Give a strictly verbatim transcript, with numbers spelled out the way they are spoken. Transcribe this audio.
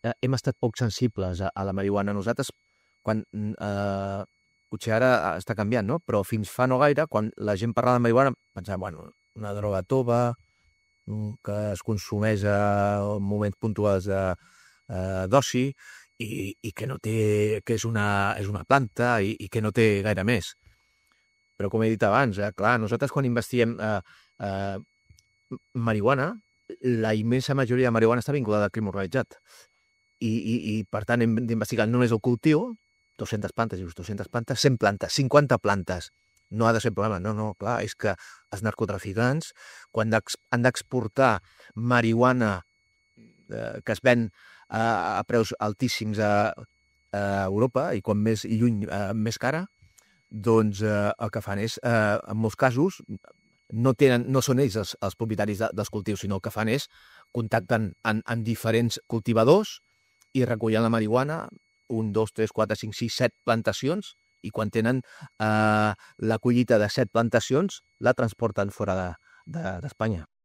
eh, hem estat poc sensibles a, a la marihuana. Nosaltres, quan... Eh, potser ara està canviant, no? Però fins fa no gaire, quan la gent parlava de marihuana, pensava, bueno, una droga tova, que es consumeix a moments puntuals de eh, d'oci i, i que no té, que és una, és una planta i, i que no té gaire més. Però com he dit abans, eh, clar, nosaltres quan investiguem eh, eh, marihuana, la immensa majoria de marihuana està vinculada al crim organitzat. I, i, i per tant hem d'investigar no només el cultiu, dues-centes plantes, dius, dues-centes plantes, cent plantes, cinquanta plantes. No ha de ser problema, no, no, clar, és que els narcotraficants, quan han d'exportar marihuana eh, que es ven a, a preus altíssims a, a Europa, i quan més lluny, eh, més cara, doncs eh, el que fan és, eh, en molts casos, no, tenen, no són ells els, els propietaris de, dels cultius, sinó el que fan és contacten amb, amb diferents cultivadors i recullen la marihuana, un, dos, tres, quatre, cinc, sis, set plantacions, i quan tenen eh, la collita de set plantacions, la transporten fora d'Espanya. De, de,